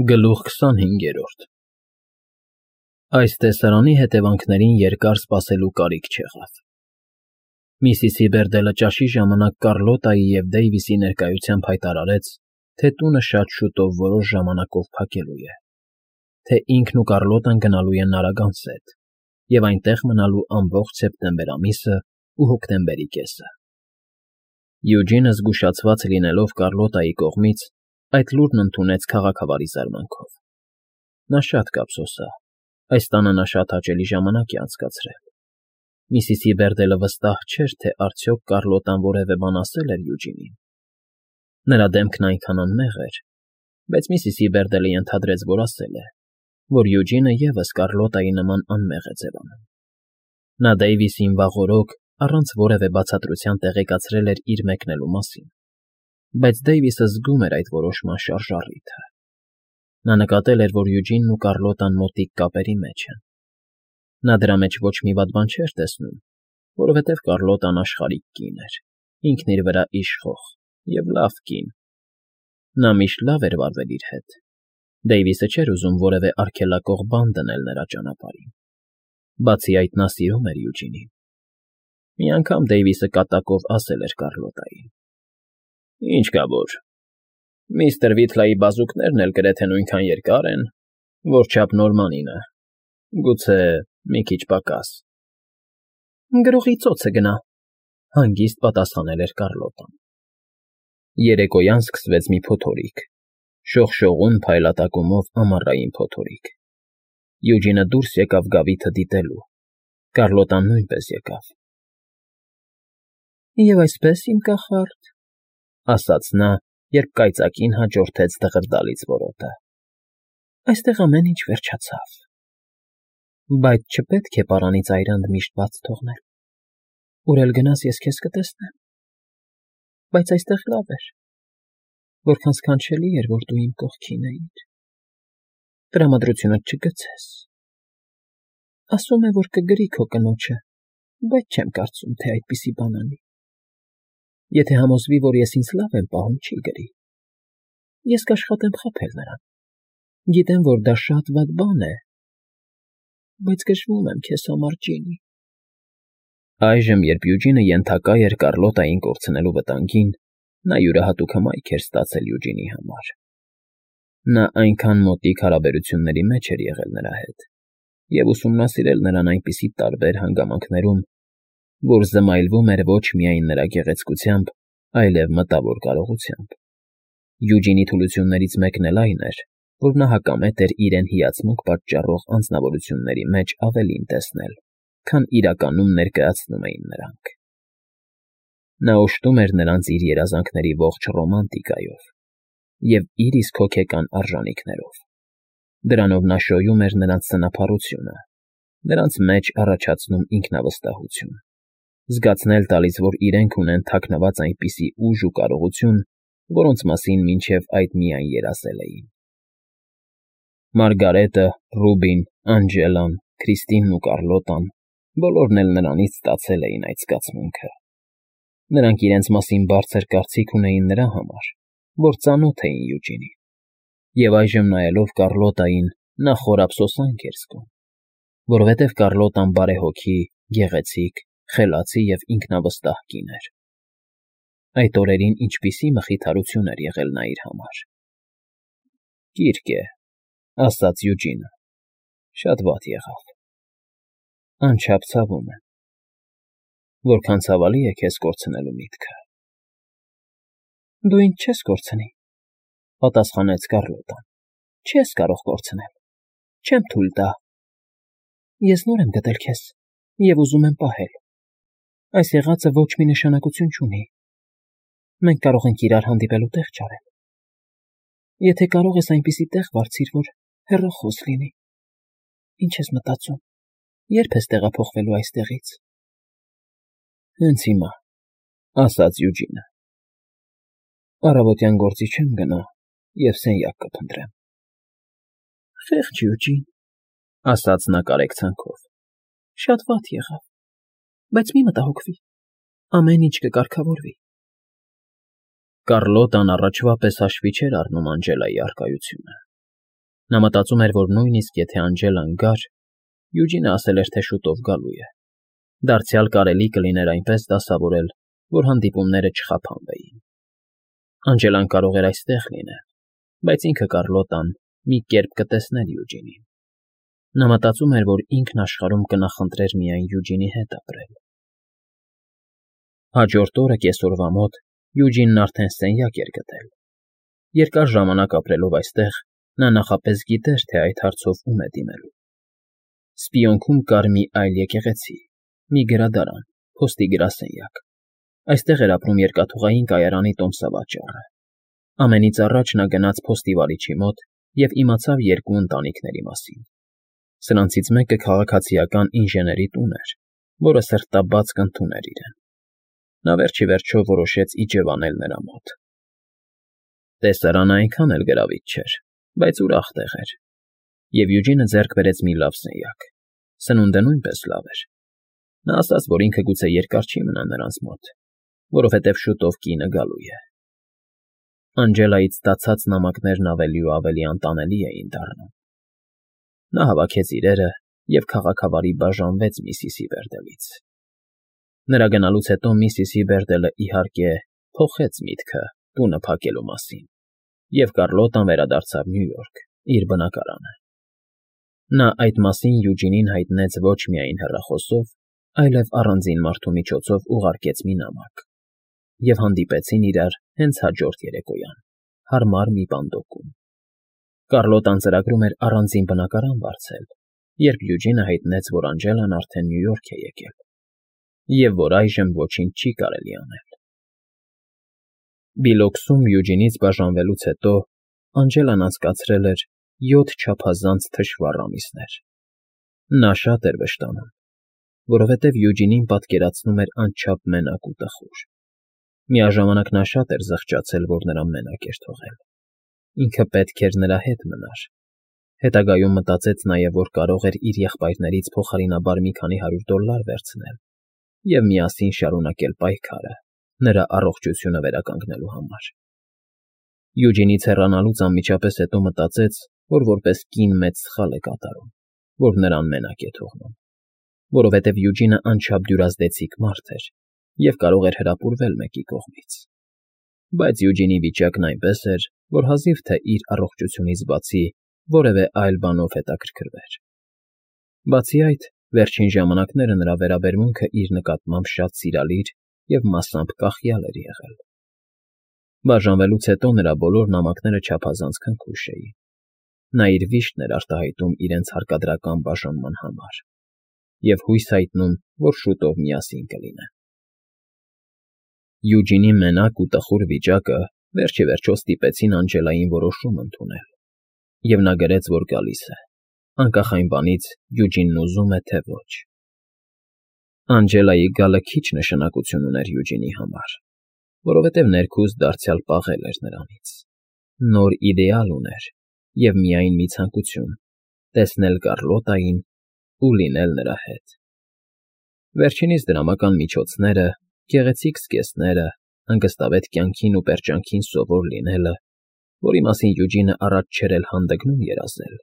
Գլուխ 25 Այս տեսարանի հետևանքներին երկար սպասելու կարիք չեղավ։ Միսիսի Բերդելը ճաշի ժամանակ Կառլոտայի և Դեյվիսի ներկայությամբ հայտարարեց, թե տունը շատ շուտով որոշ ժամանակով փակելու է, թե ինքն ու Կառլոտան գնալու են Նարագանսետ և այնտեղ մնալու ամբողջ սեպտեմբեր ամիսը ու հոկտեմբերի կեսը։ Յուջինը զգուշացված լինելով Կառլոտայի կողմից, այդ լուրն ընդունեց քաղաքավարի զարմանքով։ Նա շատ կափսոսա, այս տանը նա շատ հաճելի ժամանակ է անցկացրել։ Միսիսի Բերդելը վստահ չէր, թե արդյոք Կառլոտան որևէ բան ասել էր Յուջինին։ Նրա դեմքն այնքան անմեղ էր, բայց միսիսի Բերդելը ենթադրեց, որ ասել է, որ Յուջինը ևս Կառլոտայի նման անմեղ է ձևանում։ Նա Դեյվիսին վաղօրոք առանց որևէ բացատրության տեղեկացրել էր իր մեկնելու մասին, բայց Դեյվիսը զգում էր այդ որոշման շարժառիթը։ Նա նկատել էր, որ Յուջինն ու Կառլոտան մոտիկ կապերի մեջ են։ Նա դրա մեջ ոչ մի վատ բան չէր տեսնում, որովհետև Կառլոտան աշխարհիկ կին էր, ինքն իր վրա իշխող և լավ կին։ Նա միշտ լավ էր վարվել իր հետ։ Դեյվիսը չէր ուզում որևէ արգելակող բան դնել նրա ճանապարհին։ Բացի այդ, նա սիրում էր Յուջինին։ Մի անգամ Դեյվիսը կատակով ասել էր Կառլոտային. «Ինչ կա որ, միստր Վիթլայի բազուկներն էլ գրեթե նույնքան երկար են, որչափ Նորմանինը, գուցե մի քիչ պակաս»։ «Գրողի ծոցը գնա», հանգիստ պատասխանել էր Կառլոտան։ Երեկոյան սկսվեց մի փոթորիկ, շողշողուն փայլատակումով ամառային փոթորիկ։ Յուջինը դուրս եկավ գավիթը դիտելու, Կառլոտան նույնպես եկավ։ «Եվ այսպես, իմ կախարդ», ասաց նա, երբ կայծակին հաջորդեց դղրդալից որոտը, «այստեղ ամեն ինչ վերջացավ։ Բայց չպետք է պարանի ծայրанд միշտ բաց թողնել։ Ուր էլ գնաս, ես քեզ կտեսնեմ։ Բայց այստեղ լավ էր, որքան սքանչելի էր, որ դու իմ կողքին էիր։ Տրամադրությունդ չգցես։ Ասում է, որ կգրի քո կնոջը, բայց չեմ կարծում, թե այդպիսի բան անի։ Եթե համոզվի, որ ես ինձ լավ եմ պահում, չի գրի։ Ես կաշխատեմ խաբել նրան։ Գիտեմ, որ դա շատ վատ բան է, բայց գժվում եմ քեզ համար, Ջինի»։ Այժմ, երբ Յուջինը ենթակա էր Կառլոտային կորցնելու վտանգին, նա յուրահատուկ հմայք էր ստացել Յուջինի համար։ Նա այնքան մոտիկ հարաբերությունների մեջ էր եղել նրա հետ և ուսումնասիրել նրան այնպիսի տարբեր հանգամանքներում, որ զմայլվում էր ոչ միայն նրա գեղեցկությամբ, այլև մտավոր կարողությամբ։ Յուջինի թուլություններից մեկն էլ այն էր, որ նա հակամետ էր իրեն հիացմունք պատճառող անձնավորությունների մեջ ավելին տեսնել, քան իրականում ներկայացնում էին նրանք։ Նա օժտում էր նրանց իր երազանքների ողջ ռոմանտիկայով և իր իսկ հոգեկան արժանիքներով։ Դրանով նա շոյում էր նրանց սնափառությունը, նրանց մեջ առաջացնում ինքնավստահություն, զգացնել տալիս, որ իրենք ունեն թաքնված այնպիսի ուժ ու կարողություն, որոնց մասին մինչև այդ միայն երազել էին։ Մարգարետը, Ռուբին, Անջելան, Քրիստինն ու Կառլոտան բոլորն էլ նրանից ստացել էին այդ զգացմունքը։ Նրանք իրենց մասին բարձր կարծիք ունեին նրա համար, որ ծանոթ էին Յուջինին, և այժմ նայելով Կառլոտային, նա խոր ափսոսանք էր զգում, որովհետև Կառլոտան բարեհոգի, գեղեցիկ, խելացի և ինքնավստահ կին էր։ Այդ օրերին ինչպիսի մխիթարություն էր եղել նա իր համար։ «Կիրք է», ասաց Յուջինը, «շատ վատ եղավ։ Անչափ ցավում եմ։ Որքան ցավալի է քեզ կորցնելու միտքը»։ «Դու ինձ չես կորցնի», պատասխանեց Կառլոտան։ «Չես կարող կորցնել։ Չեմ թույլ տա։ Ես նոր եմ գտել քեզ և ուզում եմ պահել։ Այս եղածը ոչ մի նշանակություն չունի։ Մենք կարող ենք իրար հանդիպելու տեղ չարել։ Եթե կարող ես, այնպիսի տեղ վարձիր, որ հեռախոս լինի։ Ինչ ես մտածում, երբ ես տեղափոխվելու այստեղից»։ «Հենց հիմա», ասաց Յուջինը։ «Առավոտյան գործի չեմ գնա և սենյակ կփնտրեմ»։ «Խեղճ Յուջին», ասաց նա կարեկցանքով, «շատ վատ եղավ, բայց մի մտահոգվի, ամեն ինչ կկարգավորվի»։ Կառլոտան առաջվա պես հաշվի չէր առնում Անջելայի առկայությունը։ Նա մտածում էր, որ նույնիսկ եթե Անջելան գար, Յուջինը ասել էր, թե շուտով գալու է։ Դարձյալ կարելի կլիներ այնպես դասավորել, որ հանդիպումները չխափանվեին։ Անջելան կարող էր այստեղ լինել, բայց ինքը Կառլոտան մի կերպ կտեսներ Յուջինին։ Նա մտածում էր, որ ինքն աշխարհում կնախընտրեր միայն Յուջինի հետ ապրել։ Հաջորդ օրը կեսօրվա մոտ Յուջինն արդեն սենյակ էր գտել։ Երկար ժամանակ ապրելով այստեղ, նա նախապես գիտեր, թե այդ հարցով ում է դիմելու։ Սպիոնքում կար մի այլ եկեղեցի, մի գրադարան, փոստի գրասենյակ։ Այստեղ էր ապրում երկաթուղային կայարանի տոմսավաճառը։ Ամենից առաջ նա գնաց փոստի վարիչի մոտ և իմացավ երկու ընտանիքների մասին։ Սրանցից մեկը քաղաքացիական ինժեների տուն էր, որը սրտաբաց կընդուներ իրեն։ Նա վերջ ի վերջո որոշեց իջևանել նրա մոտ։ Տեսարանը այնքան էլ գրավիչ չէր, բայց ուրախ տեղ էր, և Յուջինը ձեռք բերեց մի լավ սենյակ։ Սնունդը նույնպես լավ էր։ Նա ասաց, որ ինքը գուցե երկար չի մնա նրանց մոտ, որովհետև շուտով կինը գալու է։ Անջելայից ստացած նամակներն ավելի ու ավելի անտանելի էին դառնում։ Նա հավաքեց իրերը և քաղաքավարի բաժանվեց Միսիսի Բերդելից։ Նրա գնալուց հետո Միսիսի Բերդելը, իհարկե, փոխեց միտքը տունը փակելու մասին, և Կառլոտան վերադարձավ Նյու Յորք, իր բնակարանը։ Նա այդ մասին Յուջինին հայտնեց ոչ միայն հեռախոսով, այլև առանձին մարդու միջոցով ուղարկեց մի նամակ, և հանդիպեցին իրար հենց հաջորդ երեկոյան, հարմար մի պանդոկում։ Կառլոտան ծրագրում էր առանձին բնակարան վարձել, երբ Յուջինը հայտնեց, որ Անջելան արդեն Նյու Յորք է եկել, և որ այժմ ոչինչ չի կարելի անել։ Բիլոքսում Յուջինից բաժանվելուց հետո Անջելան անցկացրել էր 7 չափազանց թշվառ ամիսներ։ Նա շատ էր վշտանում, որովհետև Յուջինին պատկերացնում էր անչափ մենակ ու տխուր։ Միաժամանակ նա շատ էր զղջացել, որ նրան մենակ էր թողել։ Ինքը պետք էր նրա հետ մնար։ Հետագայում մտածեց նաև, որ կարող էր իր եղբայրներից փոխարինաբար մի քանի $100 վերցնել և միասին շարունակել պայքարը նրա առողջությունը վերականգնելու համար։ Յուջինից հեռանալուց անմիջապես հետո մտածեց, որ որպես կին մեծ սխալ է կատարում, որ նրան մենակ է թողնում, որովհետև Յուջինը անչափ դյուրազդեցիկ մարդ էր և կարող էր հրապուրվել մեկի կողմից։ Բայց Յուջինի վիճակն այնպես էր, որ հազիվ թե իր առողջությունից բացի որևէ այլ բանով հետաքրքրվեր։ Բացի այդ, վերջին ժամանակները նրա վերաբերմունքը իր նկատմամբ շատ սիրալիր և մասամբ կախյալ էր եղել։ Բաժանվելուց հետո նրա բոլոր նամակները չափազանց քնքուշ էին։ Նա իր վիշտն էր արտահայտում իրենց հարկադրական բաժանման համար և հույս հայտնում, որ շուտով միասին կլինեն։ Յուջինի մենակ ու տխուր վիճակը վերջ ի վերջո ստիպեցին Անջելային որոշում ընդունել, և նա գրեց, որ գալիս է, անկախ այն բանից Յուջինն ուզում է, թե ոչ։ Անջելայի գալը քիչ նշանակություն ուներ Յուջինի համար, որովհետև ներքուստ դարձյալ պաղել էր նրանից։ Նոր իդեալ ուներ և միայն մի ցանկություն՝ տեսնել Կառլոտային ու լինել նրա հետ։ Վերջինիս դրամական միջոցները, գեղեցիկ զգեստները, հանգստավետ կյանքին ու պերճանքին սովոր լինելը, որի մասին Յուջինը առաջ չէր էլ հանդգնում երազել,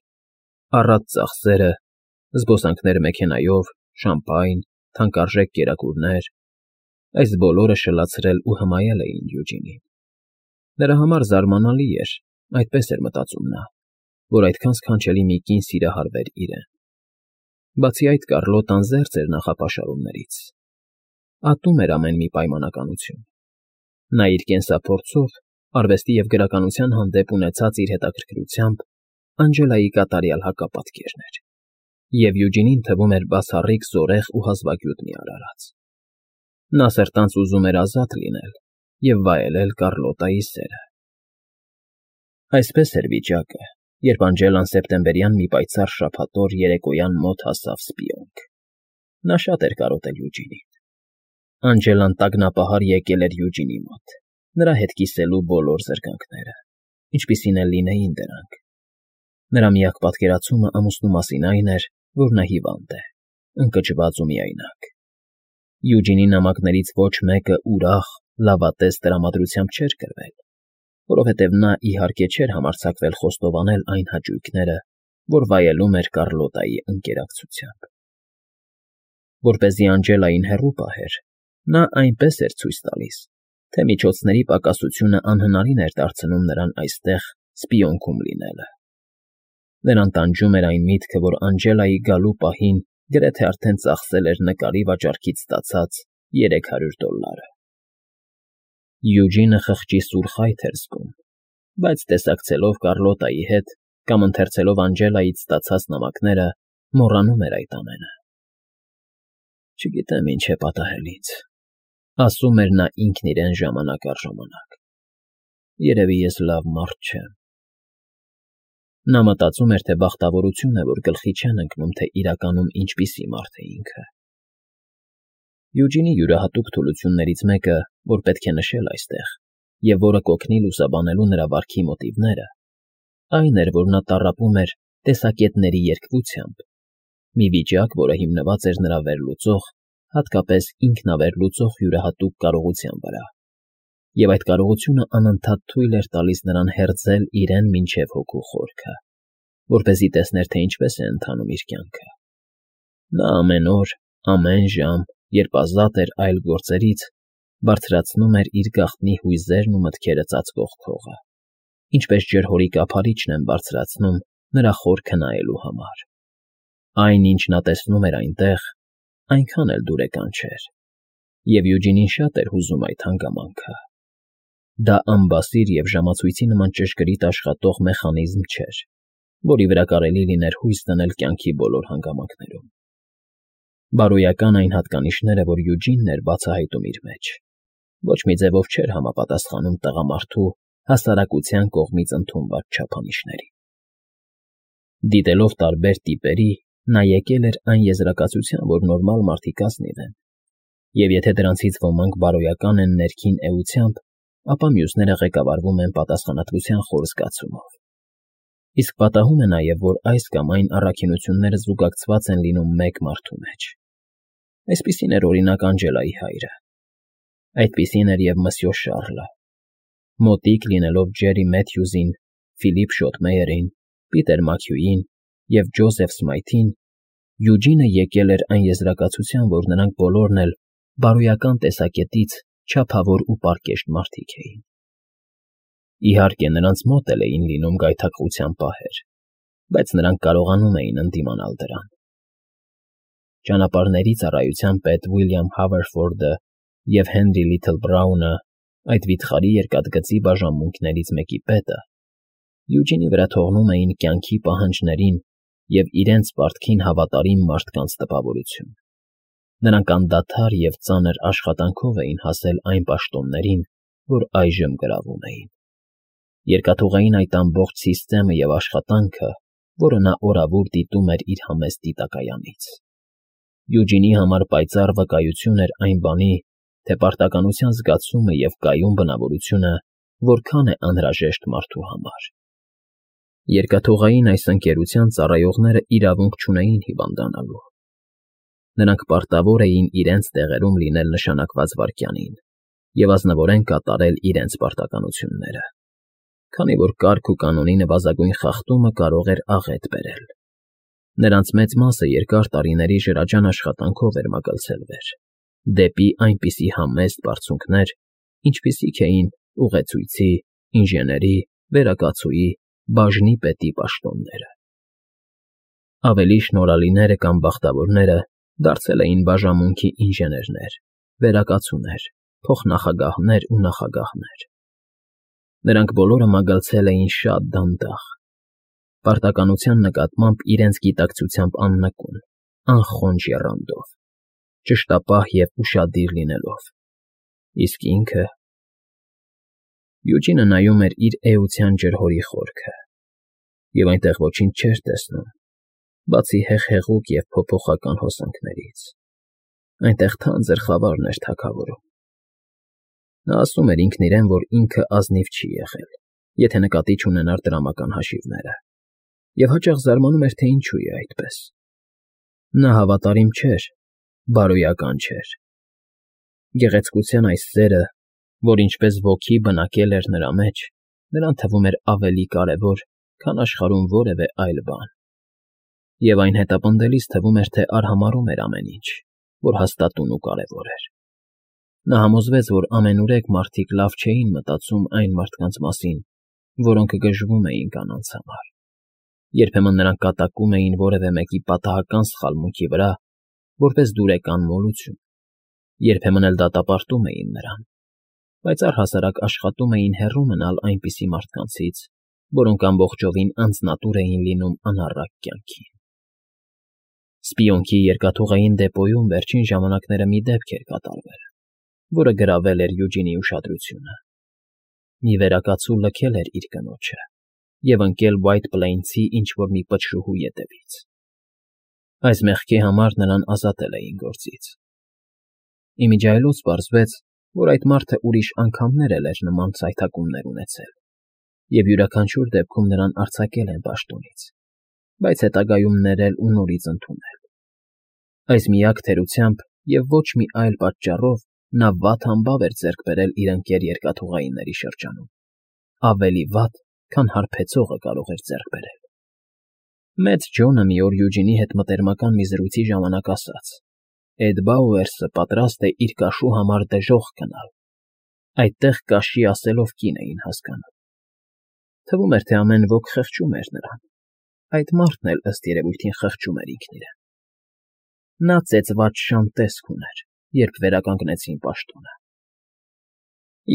առատ ծախսերը, զբոսանքներ մեքենայով, շամպայն, թանկարժեք կերակուրներ, այս բոլորը շլացրել ու հմայել էին Յուջինին։ Նրա համար զարմանալի էր, այդպես էր մտածում նա, որ այդքան սքանչելի մի կին սիրահարվեր իրեն։ Բացի այդ, Կառլոտան զերծ էր նախապաշարումներից։ Ատում էր ամեն մի պայմանականություն։ Նա իր կենսափորձով, արվեստի և գրականության հանդեպ ունեցած իր հետաքրքրությամբ Անջելայի կատարյալ հակապատկերն էր, և Յուջինին թվում էր բացառիկ զորեղ ու հազվագյուտ մի արարած։ Նա սրտանց ուզում էր ազատ լինել և վայելել Կառլոտայի սերը։ Այսպես էր վիճակը, երբ Անջելան սեպտեմբերյան մի պայծառ շաբաթօր երեկոյան մոտ հասավ Սպիոնք։ Նա շատ էր կարոտել Յուջինին։ Անջելան տագնապահար եկել էր Յուջինի մոտ, նրա հետ կիսելու բոլոր զրկանքները, ինչպիսին էլ լինեին դրանք։ Նրա միակ պատկերացումը ամուսնու մասին այն էր, որ նա հիվանդ է, ընկճված ու միայնակ։ Յուջինի նամակներից ոչ մեկը ուրախ, լավատես տրամադրությամբ չէր գրվել, որովհետև նա իհարկե չէր համարձակվել խոստովանել այն հաճույքները, որ վայելում էր Կառլոտայի ընկերակցությամբ։ Որպեսզի Անջելային հեռու պահեր, նա այնպես էր ցույց տալիս, թե միջոցների պակասությունը անհնարին էր դարձնում նրան այստեղ սպիոնքում լինելը։ Նրան տանջում էր այն միտքը, որ Անջելայի գալու պահին գրեթե արդեն ծախսել էր նկարի վաճառքից ստացած $300։ Յուջինը խղճի սուր խայթ էր զգում, բայց տեսակցելով Կառլոտայի հետ կամ ընթերցելով Անջելայից ստացած նամակները, մոռանում էր այդ ամենը։ Չգիտեմ ինչ է պատահել ինձ, ասում էր նա ինքն իրեն ժամանակ առ ժամանակ։ Երևի ես լավ մարդ չեմ։ Նա մտածում էր, թե բախտավորություն է, որ գլխի չեն ընկնում, թե իրականում ինչպիսի մարդ է ինքը։ Յուջինի յուրահատուկ թուլություններից մեկը, որ պետք է նշել այստեղ, և որը կօգնի լուսաբանելու նրա վարքի մոտիվները, այն էր, որ նա տառապում էր տեսակետների երկվությամբ, մի վիճակ, որը հիմնված էր նրա վերլուծող, հատկապես ինքնավերլուծող յուրահատուկ կարողության վրա, և այդ կարողությունը անընդհատ թույլ էր տալիս նրան հերձել իրեն մինչև հոգու խորքը, որպեսզի տեսներ, թե ինչպես է ընթանում իր կյանքը։ Նա ամեն օր, ամեն ժամ, երբ ազատ էր այլ գործերից, բարձրացնում էր իր գաղտնի հույզերն ու մտքերը ծածկող քողը, ինչպես ջրհորի կափարիչն են բարձրացնում նրա խորքը նայելու համար։ Այն, ինչ նա տեսնում էր այնտեղ, այնքան էլ դուրեկան չէր, և Յուջինին շատ էր հուզում այդ հանգամանքը։ Դա անբասիր և ժամացույցի նման ճշգրիտ աշխատող մեխանիզմ չէր, որի վրա կարելի լիներ հույս դնել կյանքի բոլոր հանգամանքներում։ Բարոյական այն հատկանիշները, որ Յուջինն էր բացահայտում իր մեջ, ոչ մի ձևով չէր համապատասխանում տղամարդու հասարակության կողմից ընդունված չափանիշներին։ Դիտելով տարբեր տիպերի, նա եկել էր այն եզրակացության, որ նորմալ մարդիկ ազնիվ են, և եթե դրանցից ոմանք բարոյական են ներքին էությամբ, ապա մյուսները ղեկավարվում են պատասխանատվության խոր զգացումով։ Իսկ պատահում է նաև, որ այս կամ այն առաքինությունները զուգակցված են լինում մեկ մարդու մեջ։ Այսպիսին էր օրինակ Անջելայի հայրը։ Այդպիսին էր և Մսյո Շառլը։ Մոտիկ լինելով Ջերի Մեթյուզին, Ֆիլիպ Շոթմեյերին, Պիտեր Մաքյուին և Ջոզեֆ Սմայթին, Յուջինը եկել էր այն եզրակացության, որ նրանք բոլորն էլ բարոյական տեսակետից չափավոր ու պարկեշտ մարդիկ էին։ Իհարկե, նրանց մոտ էլ էին լինում գայթակղության պահեր, բայց նրանք կարողանում էին ընդդիմանալ դրան։ Ճանապարհների ծառայության պետ Ուիլյամ Հավերֆորդը և Հենրի Լիթլբրաունը, այդ վիթխարի երկաթգծի բաժանմունքներից մեկի պետը, Յուջինի վրա թողնում էին կյանքի պահանջներին և իրենց պարտքին հավատարիմ մարդկանց տպավորություն։ Նրանք անդադար և ծանր աշխատանքով էին հասել այն պաշտոններին, որ այժմ գրավում էին։ Երկաթուղային այդ ամբողջ սիստեմը և աշխատանքը, որը նա օրավուր դիտում էր իր համեստ դիտակայանից։ Յուջինի համար պայծառ վկայություն էր այն բանի, թե պարտականության զգացումը և կայուն բնավորությունը որքան է անհրաժեշտ մարդու համար։ Երկաթուղային այս ընկերության ծառայողները իրավունք չունեին հիվանդանալու։ Նրանք պարտավոր էին իրենց տեղերում լինել նշանակված վայրկյանին և ազնվորեն կատարել իրենց պարտականությունները, քանի որ կարգ ու կանոնի նվազագույն խախտումը կարող էր աղետ բերել։ Նրանց մեծ մասը երկար տարիների ջրաջան աշխատանքով էր մագլցել դեպի այնպիսի համեստ բարձունքներ, ինչպիսիք էին ուղեցույցի, ինժեների, վերակացուի, բաժնի պետի պաշտոնները։ Ավելի շնորհալիները կամ բախտավորները դարձել էին բաժանմունքի ինժեներներ, վերակացուներ, փոխնախագահներ ու նախագահներ։ Նրանք բոլորը մագլցել էին շատ դանդաղ, պարտականության նկատմամբ իրենց գիտակցությամբ աննկուն, անխոնջ եռանդով, ճշտապահ և ուշադիր լինելով։ Իսկ ինքը… Յուջինը նայում էր իր էության ջրհորի խորքը, և այնտեղ ոչինչ չէր տեսնում, բացի հեղհեղուկ և փոփոխական հոսանքներից։ Այնտեղ թանձր խավարն էր թագավորում։ Նա ասում էր ինքն իրեն, որ ինքը ազնիվ չի եղել, եթե նկատի չունենար տրամական հաշիվները, և հաճախ զարմանում էր, թե ինչու է այդպես։ Նա հավատարիմ չէր, բարոյական չէր։ Գեղեցկության այս սերը, որ ինչպես ոգի բնակել էր նրա մեջ, նրան թվում էր ավելի կարևոր, քան աշխարհում որևէ այլ բան։ Եվ այն հետապնդելիս թվում էր, թե արհամարհում էր ամեն ինչ, որ հաստատուն ու կարևոր էր։ Նա համոզվեց, որ ամենուրեք մարդիկ լավ չէին մտածում այն մարդկանց մասին, որոնք գժվում էին կանանց համար։ Երբեմն նրանք կատակում էին որևէ մեկի պատահական սխալմունքի վրա, որպես դուրեկան մոլություն, երբեմն էլ դատապարտում էին նրան, բայց առհասարակ աշխատում էին հեռու մնալ այնպիսի մարդկանցից, որոնք ամբողջովին անձնատուր էին լինում անառակ կյանքին։ Սպիոնքի երկաթուղային դեպոյում վերջին ժամանակները մի դեպք էր կատարվել, որը գրավել էր Յուջինի ուշադրությունը։ Մի վերակացու լքել էր իր կնոջը և ընկել White Plains-ի ինչ-որ մի պչրուհու ետևից։ Այս մեղքի համար նրան ազատել էին գործից։ Իմիջիայլոց պարզվեց, որ այդ մարդը ուրիշ անգամներ էլ էր նման ցայթակումներ ունեցել, և յուրաքանչյուր դեպքում նրան արձակել են պաշտոնից, բայց հետագայում ներել ու նորից ընդունել։ Այս միակ թերությամբ և ոչ մի այլ պատճառով նա վատ համբավ էր ձեռք բերել իր ընկեր երկաթուղայինների շրջանում, ավելի վատ, քան հարբեցողը կարող էր ձեռք բերել։ Մեծ Ջոնը մի օր Յուջինի հետ մտերմական մի զրույցի ժամանակ ասաց. «Էդ Բաուերսը պատրաստ է իր կաշու համար դժոխք գնալ»։ Այդտեղ կաշի ասելով կին էին հասկանում։ Թվում էր, թե ամեն ոք խղճում էր նրան։ Այդ մարդն էլ ըստ երևույթին խղճում էր ինքն իրեն։ Նա ծեծված շան տեսք ուներ, երբ վերականգնեցին պաշտոնը։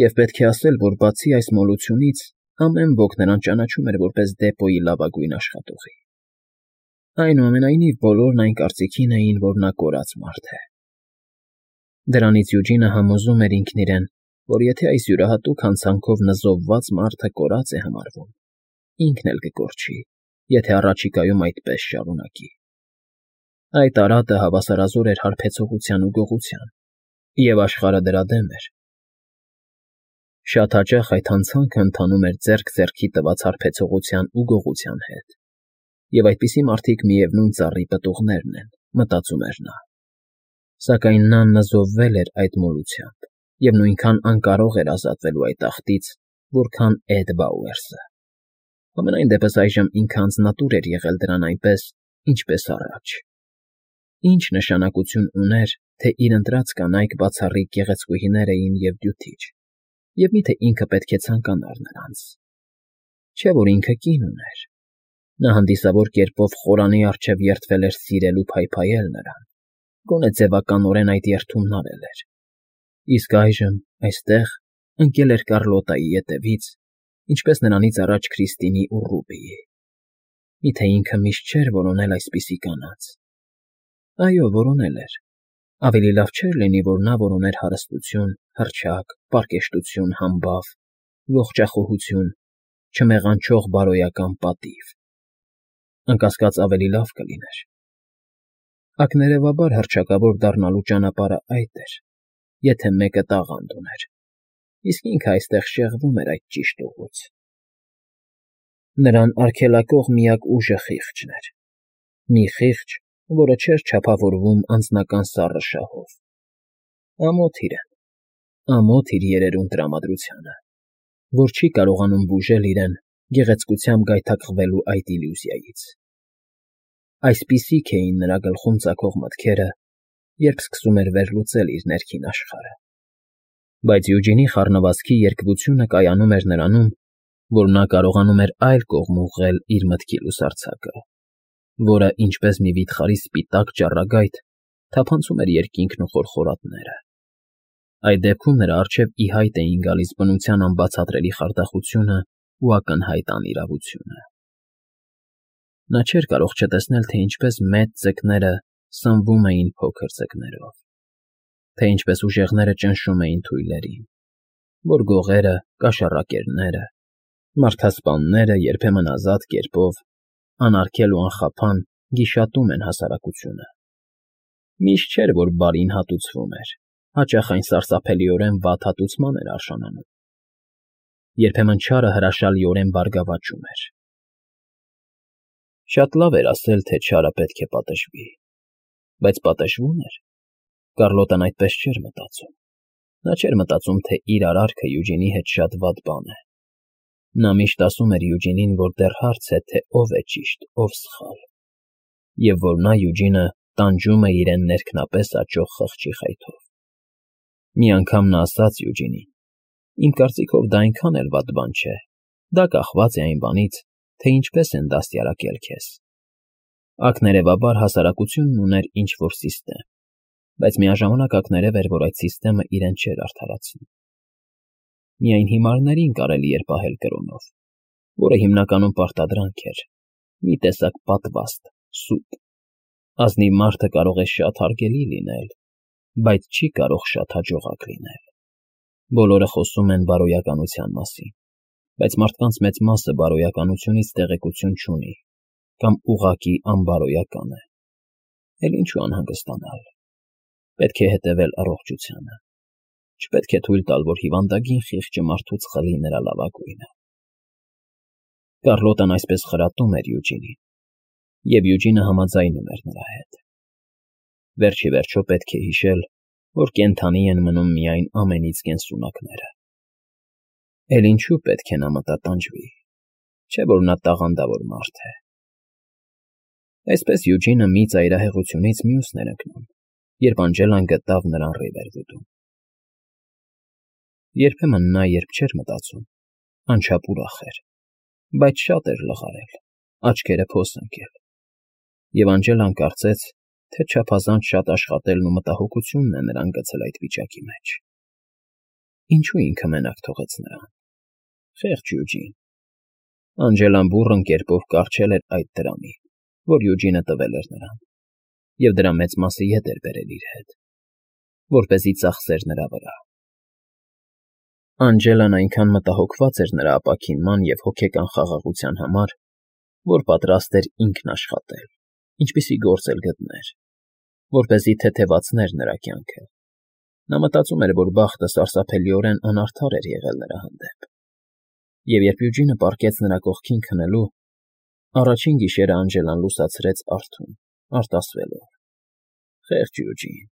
Եվ պետք է ասել, որ բացի այս մոլությունից, ամեն ոք նրան ճանաչում էր որպես դեպոյի լավագույն աշխատողի։ Այնուամենայնիվ բոլորն այն կարծիքին էին, որ նա կորած մարդ է։ Դրանից Յուջինը համոզում էր ինքն իրեն, որ եթե այս յուրահատուկ հանցանքով նզովված մարդը կորած է համարվում, ինքն էլ կկորչի, եթե առաջիկայում այդպես շարունակի։ Այդ արատը հավասարազոր էր հարբեցողության ու գողության, և աշխարհը դրա դեմ էր։ Շատ հաճախ այդ հանցանքը ընթանում էր ձեռք ձեռքի տված հարբեցողության ու գողության հետ, և այդպիսի մարդիկ միևնույն ծառի պտուղներն են, մտածում էր նա։ Սակայն նա նզովվել էր այդ մոլությամբ և նույնքան անկարող էր ազատվելու այդ աղտից, որքան Էդ Բաուերսը։ Համենայն դեպս այժմ ինքը անձնատուր էր եղել դրան այնպես, ինչպես առաջ։ Ինչ նշանակություն ուներ, թե իր ընտրած կանայք բացառիկ գեղեցկուհիներ էին և դյութիչ, և միթե ինքը պետք է ցանկանար նրանց։ Չէ՞ որ ինքը կին ուներ։ Նա հանդիսավոր կերպով խորանի առջև երդվել էր սիրել ու փայփայել նրան, գոնե ձևականորեն այդ երդումն արել էր։ Իսկ այժմ, այստեղ, ընկել էր Կառլոտայի ետևից, ինչպես նրանից առաջ Քրիստինի ու Ռուբիի։ Միթե ինքը միշտ չէր որոնել այսպիսի կանանց։ Այո, որոնել էր։ Ավելի լավ չէր լինի, որ նա որոներ հարստություն, հռչակ, պարկեշտություն, համբավ, ողջախոհություն, չմեղանչող բարոյական պատիվ։ Անկասկած ավելի լավ կլիներ։ Ակներևաբար հռչակավոր դառնալու ճանապարհը այդ էր, եթե մեկը տաղանդ ուներ, իսկ ինքը այստեղ շեղվում էր այդ ճիշտ ուղուց։ Նրան արգելակող միակ ուժը խիղճն էր։ Մի խիղճ, որը չէր չափավորվում անձնական սառը շահով։ Ամոթ իր երերուն տրամադրությանը, որ չի կարողանում բուժել իրեն գեղեցկությամբ գայթակղվելու այդ իլյուզիայից։ Այսպիսիք էին նրա գլխում ծագող մտքերը, երբ սկսում էր վերլուծել իր ներքին աշխարհը։ Բայց Յուջինի խառնվածքի երկվությունը կայանում էր նրանում, որ նա կարողանում էր այլ կողմ ուղղել իր մտքի լուսարձակը, որը, ինչպես մի վիթխարի սպիտակ ճառագայթ, թափանցում էր երկինքն ու խորխորատները։ Այդ դեպքում նրա առջև ի հայտ էին գալիս բնության անբացատրելի խարդախությունը ու ակնհայտ անիրավությունը։ Նա չէր կարող չտեսնել, թե ինչպես մեծ ձկները սնվում էին փոքր ձկներով, թե ինչպես ուժեղները ճնշում էին թույլերին, որ գողերը, կաշառակերները, մարդասպանները երբեմն ազատ կերպով, անարգել ու անխափան գիշատում են հասարակությունը։ Միշտ չէր, որ բարին հատուցվում էր, հաճախ այն սարսափելիորեն վատ հատուցման էր արժանանում։ Երբեմն չարը հրաշալիորեն բարգավաճում էր։ Շատ լավ էր ասել, թե չարը պետք է պատժվի, բայց պատժվում էր։ Կառլոտան այդպես չէր մտածում։ Նա չէր մտածում, թե իր արարքը Յուջինի հետ շատ վատ բան է։ Նա միշտ ասում էր Յուջինին, որ դեռ հարց է, թե ով է ճիշտ, ով սխալ, և որ նա Յուջինը տանջում է իրեն ներքնապես աճող խղճի խայթով։ Մի անգամ նա ասաց Յուջինին. «Իմ կարծիքով դա այնքան էլ վատ բան չէ, դա կախված է այն բանից, թե ինչպես են դաստիարակել քեզ»։ Ակներևաբար հասարակությունն ուներ ինչ-որ սիստեմ, բայց միաժամանակ ակներև էր, որ այդ սիստեմը իրեն չէր արդարացնում։ Միայն հիմարներին կարելի էր պահել կրոնով, որը հիմնականում պարտադրանք էր, մի տեսակ պատվաստ, սուտ։ Ազնիվ մարդը կարող է շատ հարգելի լինել, բայց չի կարող շատ հաջողակ լինել։ Բոլորը խոսում են բարոյականության մասին, բայց մարդկանց մեծ մասը բարոյականությունից տեղեկություն չունի կամ ուղղակի անբարոյական է։ Էլ ինչու անհանգստանալ։ Պետք է հետևել առողջությանը։ Չպետք է թույլ տալ, որ հիվանդագին խիղճը մարդուց խլի նրա լավագույնը։ Կառլոտան այսպես խրատում էր Յուջինին, և Յուջինը համաձայնում էր նրա հետ։ Վերջ ի վերջո պետք է հիշել, որ կենդանի են մնում միայն ամենից կենսունակները։ Էլ ինչու պետք է նա մտատանջվի, չէ՞ որ նա տաղանդավոր մարդ է։ Այսպես Յուջինը մի ծայրահեղությունից մյուսն էր ընկնում, երբ Անջելան գտավ նրան Ռիվերվուդում։ Երբեմն նա, երբ չէր մտածում, անչափ ուրախ էր, բայց շատ էր լղարել, աչքերը փոս ընկել, և Անջելան կարծեց, թե չափազանց շատ աշխատելն ու մտահոգությունն է նրան գցել այդ վիճակի մեջ։ Ինչու ինքը մենակ թողեց նրան։ Խեղճ Յուջին։ Անջելան բուռն կերպով կառչել էր այդ դրամին, որ Յուջինը տվել էր նրան, և դրա մեծ մասը ետ էր բերել իր հետ, որպեսզի ծախսեր նրա վրա։ Անջելան այնքան մտահոգված էր նրա ապաքինման և հոգեկան խաղաղության համար, որ պատրաստ էր ինքն աշխատել, ինչպիսի գործ էլ գտներ, որպեսզի թեթևացներ նրա կյանքը։ Նա մտածում էր, որ բախտը սարսափելիորեն անարդար էր եղել նրա հանդեպ։ Եվ երբ Յուջինը պառկեց նրա կողքին քնելու, առաջին գիշերը Անջելան լուսացրեց արթուն, արտասվելով. Խեղճ Յուջին,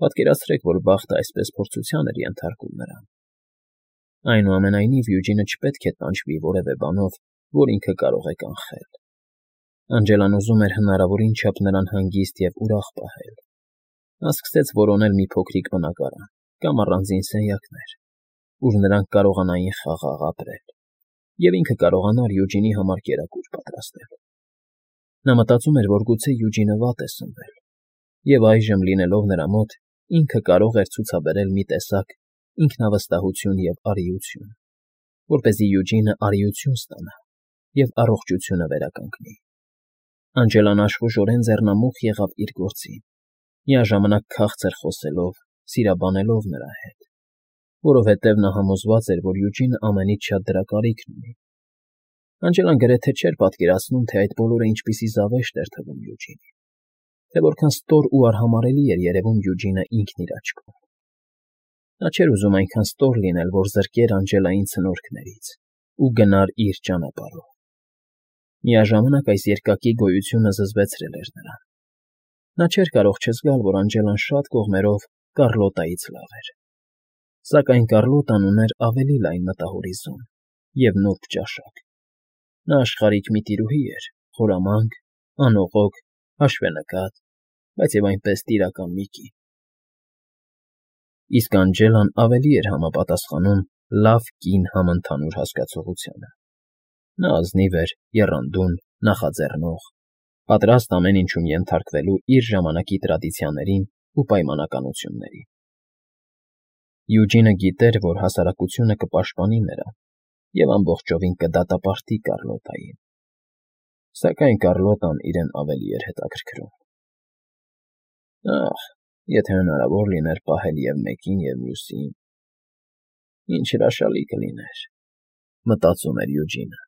պատկերացրեք, որ բախտը այսպես փորձության էր ենթարկում նրան։ Այնուամենայնիվ Յուջինը չպետք է տանջվի որևէ բանով, որ ինքը կարող է կանխել։ Անջելան ուզում էր հնարավորին չափ նրան հանգիստ և ուրախ պահել։ Նա սկսեց որոնել մի փոքրիկ բնակարան կամ առանձին սենյակներ, ուր նրանք կարողանային խաղաղ ապրել, և ինքը կարողանար Յուջինի համար կերակուր պատրաստել։ Նա մտածում էր, որ գուցե Յուջինը վատ է սնվել, և այժմ, լինելով նրա մոտ, ինքը կարող էր ցուցաբերել մի տեսակ ինքնավստահություն և արիություն, որպեսզի Յուջինը արիություն ստանա և առողջությունը վերականգնի։ Անջելան աշխուժորեն ձեռնամուխ եղավ իր գործին, միաժամանակ քաղցր խոսելով, սիրաբանելով նրա հետ, որովհետև նա համոզված էր, որ Յուջինը ամենից շատ դրա կարիքն ունի։ Անջելան գրեթե չէր պատկերացնում, թե այդ բոլորը ինչպիսի զավեշտ էր թվում Յուջինին, թե որքան ստոր ու արհամարհելի էր երևում Յուջինը ինքն իր աչքով։ Նա չէր ուզում այնքան ստոր լինել, որ զրկեր Անջելային ցնորքներից ու գնար իր ճանապարհով։ Միաժամանակ այս երկակի գոյությունը զզվեցրել էր նրան։ Նա չէր կարող չզգալ, որ Անջելան շատ կողմերով Կառլոտայից լավ էր։ Սակայն Կառլոտան ուներ ավելի լայն մտահորիզոն և նուրբ ճաշակ։ Նա աշխարհիկ մի տիրուհի էր, խորամանկ, անողոք, հաշվենկատ, բայց և այնպես տիրական մի կին։ Իսկ Անջելան ավելի էր համապատասխանում լավ կին համընդհանուր հասկացողությանը։ Նա ազնիվ էր, եռանդուն, նախաձեռնող, պատրաստ ամեն ինչում ենթարկվելու իր ժամանակի տրադիցիաներին ու պայմանականություններին։ Յուջինը գիտեր, որ հասարակությունը կպաշտպանի նրան և ամբողջովին կդատապարտի Կառլոտային, սակայն Կառլոտան իրեն ավելի էր հետաքրքրում։ Ահ, եթե հնարավոր լիներ պահել և մեկին, և մյուսին, ինչ հրաշալի կլիներ, մտածում էր Յուջինը։